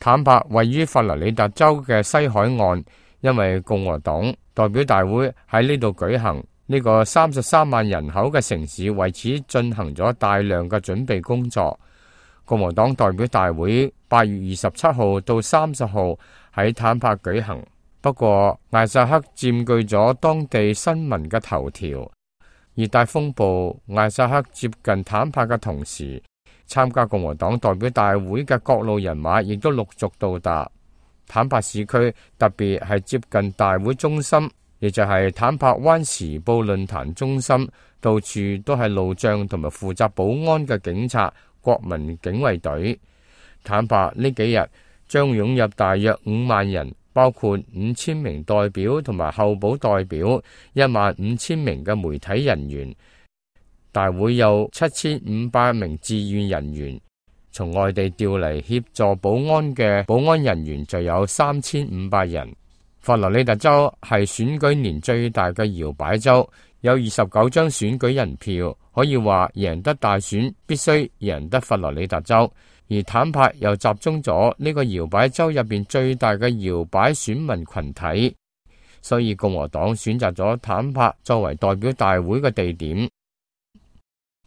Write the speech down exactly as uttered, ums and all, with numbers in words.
坦帕位於佛羅里達州嘅西海岸，因為共和黨代表大會喺呢度舉行，呢個三十三萬人口嘅城市為此進行咗大量嘅準備工作。共和黨代表大會八月二十七號到三十號喺坦帕舉行，不過艾薩克佔據咗當地新聞嘅頭條。熱帶風暴艾薩克接近坦帕嘅同時，參加共和黨代表大會嘅各路人馬亦都陸續到達。坦帕市區特別係接近大會中心，亦就係坦帕灣時報論壇中心，到處都係路障同埋負責保安嘅警察、國民警衛隊。坦帕呢幾日將湧入大約五萬人，包括五千名代表同埋候補代表，一萬五千名嘅媒體人員。大會有七千五百名志願人員，從外地調嚟協助保安嘅保安人員就有三千五百人。佛羅里達州係選舉年最大嘅搖擺州，有二十九張選舉人票，可以話贏得大選必須贏得佛羅里達州。而坦帕又集中咗呢個搖擺州入邊最大嘅搖擺選民群體，所以共和黨選擇咗坦帕作為代表大會嘅地點。